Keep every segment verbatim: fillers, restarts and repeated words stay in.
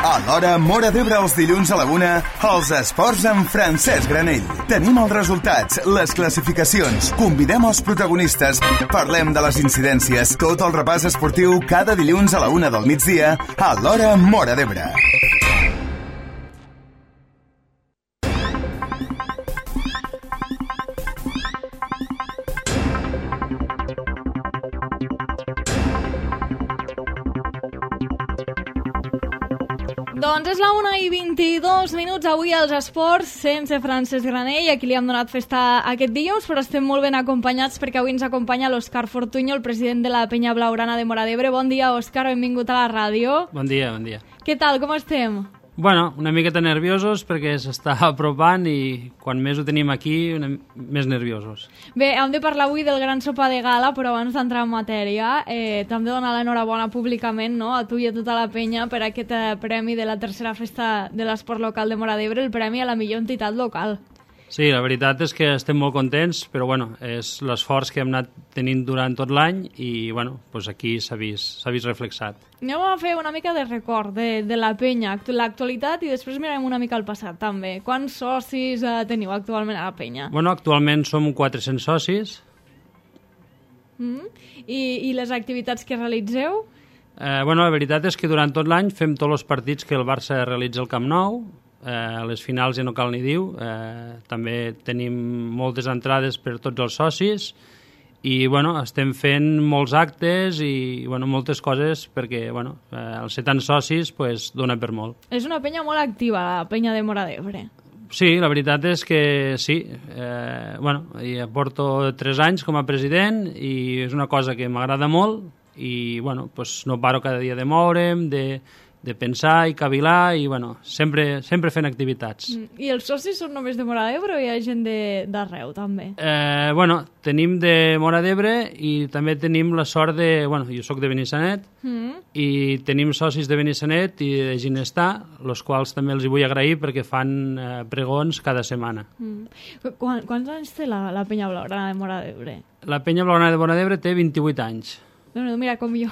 A l'hora Móra d'Ebre els dilluns a la una, els esports amb Francesc Granell. Tenim els resultats, les classificacions, convidem els protagonistes, parlem de les incidències, tot el repàs esportiu cada dilluns a la una del migdia a l'hora Móra d'Ebre. Doncs és la una i vint-i-dos minuts avui als esports, sense Francesc Granell, a qui li hem donat festa aquest dilluns, però estem molt ben acompanyats perquè avui ens acompanya l'Òscar Fortuño, el president de la Penya Blaugrana de Móra d'Ebre. Bon dia, Òscar, benvingut a la ràdio. Bon dia, bon dia. Què tal, com estem? Bueno, una miqueta nerviosos perquè s'està apropant i quan més ho tenim aquí, una, més nerviosos. Bé, hem de parlar avui del gran sopar de gala, però abans d'entrar en matèria, eh, t'hem de donar l'enhorabona públicament, no?, a tu i a tota la penya per aquest eh, premi de la tercera festa de l'esport local de Móra d'Ebre, el premi a la millor entitat local. Sí, la veritat és que estem molt contents, però bueno, és l'esforç que hem anat tenint durant tot l'any i bueno, doncs aquí s'ha vist, s'ha vist reflexat. Anem a fer una mica de record de, de la penya, l'actualitat, i després mirarem una mica al passat també. Quants socis eh, teniu actualment a la penya? Bueno, actualment som quatre-cents socis. Mm? I, I les activitats que realitzeu? Eh, bueno, la veritat és que durant tot l'any fem tots els partits que el Barça realitza al Camp Nou. Eh, a les finals ja no cal ni dir, eh, també tenim moltes entrades per tots els socis i bueno, estem fent molts actes i bueno, moltes coses perquè bueno, eh, el ser tants socis pues, dona per molt. És una penya molt activa, la penya de Móra d'Ebre. Sí, la veritat és que sí. Eh, bueno, ja porto tres anys com a president i és una cosa que m'agrada molt i bueno, pues, no paro cada dia de moure'm, de de pensar i cavilar i bueno, sempre, sempre fent activitats. Mm. I els socis són només de Móra d'Ebre o hi ha gent d'arreu també? Eh, bueno, tenim de Móra d'Ebre i també tenim la sort de... Bueno, jo sóc de Benissanet mm. i tenim socis de Benissanet i de Ginestar, els quals també els hi vull agrair perquè fan eh, pregons cada setmana. Mm. Quan, quants anys té la, la Penya Blaugrana de Móra d'Ebre? La Penya Blaugrana de Móra d'Ebre té vint-i-vuit anys. Déu-n'hi-do, mira com jo.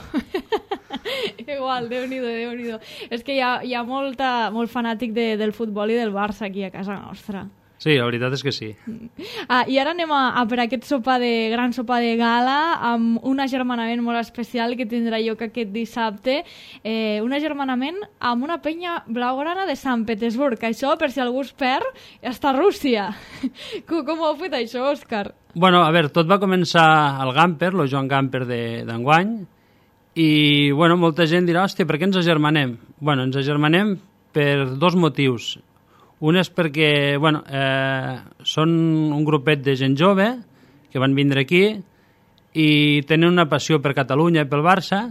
Igual, Déu-n'hi-do, Déu-n'hi-do. És que hi ha, hi ha molta, molt fanàtic de, del futbol i del Barça aquí a casa nostra. Sí, la veritat és que sí. Ah, I ara anem a, a per aquest sopar de, gran sopar de gala amb un agermanament molt especial que tindrà lloc aquest dissabte. Eh, un agermanament amb una penya blaugrana de Sant Petersburg. Això, per si algú es perd, està a Rússia. Com, com ho heu fet això, Òscar? Bueno, a veure, tot va començar al Gamper, el Joan Gamper d'enguany, i bueno, molta gent dirà, hòstia, per què ens agermanem? Bueno, ens agermanem per dos motius. Un és perquè bueno, eh, són un grupet de gent jove que van vindre aquí i tenen una passió per Catalunya i pel Barça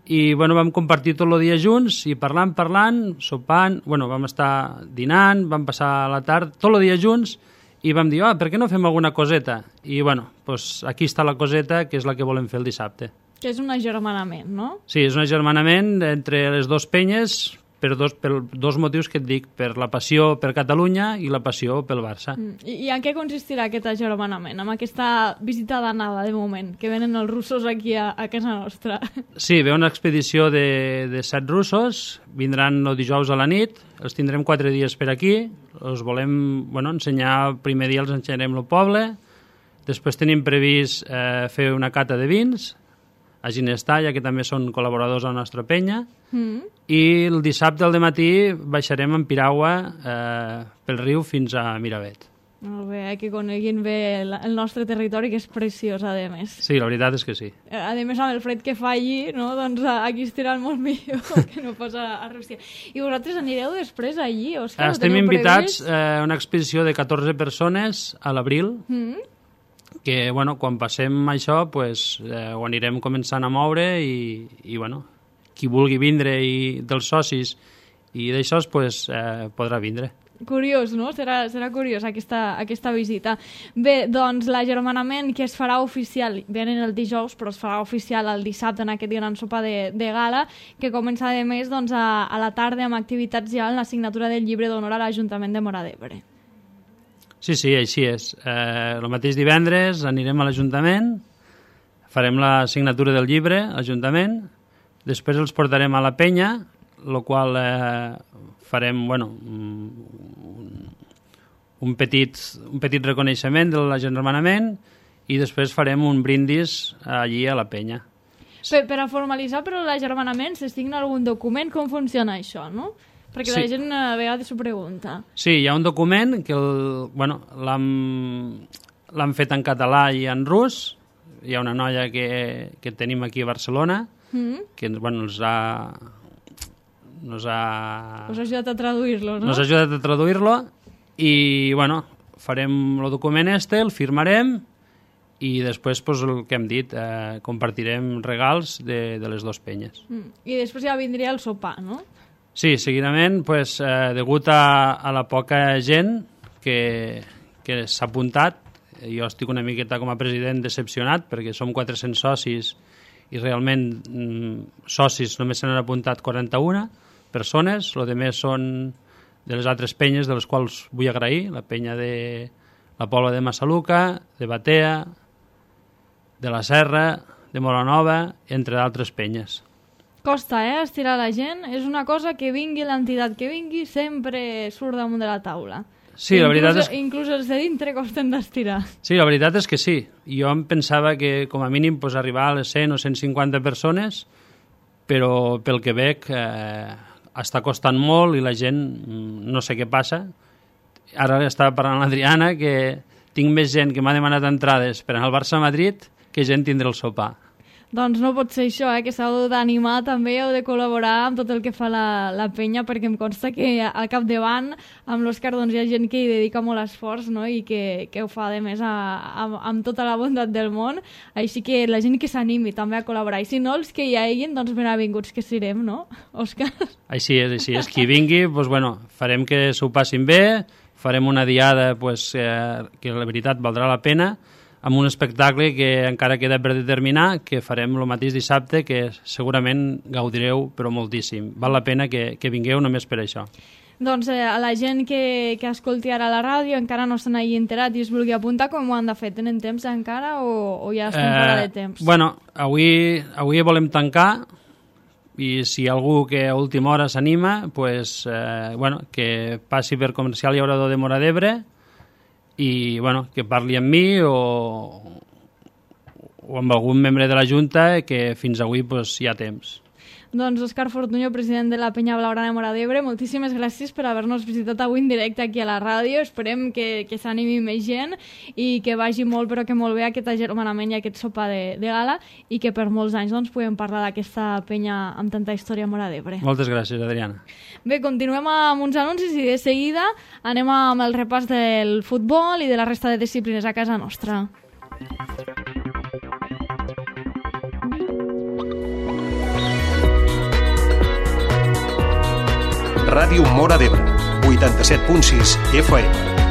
i bueno, vam compartir tot el dia junts i parlant, parlant, sopant, bueno, vam estar dinant, vam passar la tarda, tot el dia junts i vam dir, ah, per què no fem alguna coseta? I bueno, doncs aquí està la coseta que és la que volem fer el dissabte. Que és un agermanament, no? Sí, és un agermanament entre les dues penyes per dos, per dos motius que et dic, per la passió per Catalunya i la passió pel Barça. Mm. I, I en què consistirà aquest agermanament? Amb aquesta visita d'anada, de moment, que venen els russos aquí a, a casa nostra. Sí, ve una expedició de, de set russos, vindran el dijous a la nit, els tindrem quatre dies per aquí, els volem bueno, ensenyar, el primer dia els ensenyarem el poble, després tenim previst eh, fer una cata de vins, a Ginestar, ja que també són col·laboradors a la nostra penya, mm. i el dissabte al dematí baixarem en piragua eh, pel riu fins a Miravet. Molt bé, que coneguin bé el, el nostre territori, que és preciós, a més. Sí, la veritat és que sí. A més, amb el fred que fa allí, no? Doncs aquí estiran molt millor que no pas a, a Rússia. I vosaltres anireu després allí, Òscar? Estem invitats a eh, una expedició de catorze persones a l'abril, mm. que bueno, quan passem això pues, eh, ho anirem començant a moure i, i bueno, qui vulgui vindre i dels socis i d'això pues, eh, podrà vindre. Curiós, no? Serà, serà curiós aquesta, aquesta visita. Bé, doncs l'agermanament que es farà oficial, venen el dijous, però es farà oficial el dissabte en aquest gran sopar de, de gala, que comença a més doncs, a, a la tarda amb activitats ja en la signatura del llibre d'honor a l'Ajuntament de Móra d'Ebre. Sí, sí, així és. Eh, el mateix divendres anirem a l'Ajuntament, farem la signatura del llibre a l'Ajuntament, després els portarem a la penya, el qual eh, farem bueno, un, un, petit, un petit reconeixement de l'agermanament i després farem un brindis allí a la penya. Per, per a formalitzar però l'agermanament se signa algun document? Com funciona això, no? Perquè sí. La gent a vegades s'ho pregunta. Sí, hi ha un document que el, bueno, l'han fet en català i en rus. Hi ha una noia que, que tenim aquí a Barcelona mm. que bueno, ens ha... Nos ha... Us ha ajudat a traduir-lo, no? Nos ha ajudat a traduir-lo i, bueno, farem el document este, el firmarem i després, pues, el que hem dit, eh, compartirem regals de, de les dues penyes. Mm. I després ja vindria el sopar, no? Sí, seguidament, pues, eh, degut a, a la poca gent que, que s'ha apuntat, jo estic una miqueta com a president decepcionat perquè som quatre-cents socis i realment mm, socis només se n'han apuntat quaranta-una persones, el que més són de les altres penyes de les quals vull agrair, la penya de la Pobla de Massaluca, de Batea, de la Serra, de Moranova, entre d'altres penyes. Costa, eh, estirar la gent. És una cosa que vingui l'entitat que vingui, sempre surt damunt de la taula. Sí, la veritat és... Inclús els de dintre costen d'estirar. Sí, la veritat és que sí. Jo em pensava que com a mínim pues, arribar a les cent o cent cinquanta persones, però pel que veig eh, està costant molt i la gent no sé què passa. Ara estava parlant l'Adriana que tinc més gent que m'ha demanat entrades per anar al Barça-Madrid que gent tindre el sopar. Doncs no pot ser això, eh? Que s'heu d'animar també, heu de col·laborar amb tot el que fa la, la penya, perquè em consta que al capdavant amb l'Òscar doncs, hi ha gent que hi dedica molt esforç, no? I que, que ho fa de més a, a, amb tota la bondat del món, així que la gent que s'animi també a col·laborar, i si no, els que hi hagin, doncs benvinguts que serem, no, Òscar? Així és, així és, qui vingui, doncs, bueno, farem que s'ho passin bé, farem una diada pues, eh, que la veritat valdrà la pena, amb un espectacle que encara queda per determinar, que farem el mateix dissabte, que segurament gaudireu, però moltíssim. Val la pena que, que vingueu només per això. Doncs eh, a la gent que, que escolti ara la ràdio encara no estan ahí enterat i es vulgui apuntar, com ho han de fer? Tenen temps encara o, o ja estan eh, fora de temps? Bueno, avui, avui volem tancar i si hi ha algú que a última hora s'anima, pues, eh, bueno, que passi per Comercial i Obrador de Móra d'Ebre i bueno, que parli amb mi o, o amb algun membre de la Junta que fins avui pues, hi ha temps. Doncs Òscar Fortuño, president de la Penya Blaugrana de Móra d'Ebre, moltíssimes gràcies per haver-nos visitat avui en directe aquí a la ràdio. Esperem que, que s'animi més gent i que vagi molt, però que molt bé aquest agermanament i aquest sopar de, de gala i que per molts anys doncs, puguem parlar d'aquesta penya amb tanta història a Móra d'Ebre. Moltes gràcies, Adriana. Bé, continuem amb uns anuncis i de seguida anem amb el repàs del futbol i de la resta de disciplines a casa nostra. Ràdio Móra d'Ebre, vuitanta-set punt sis F M.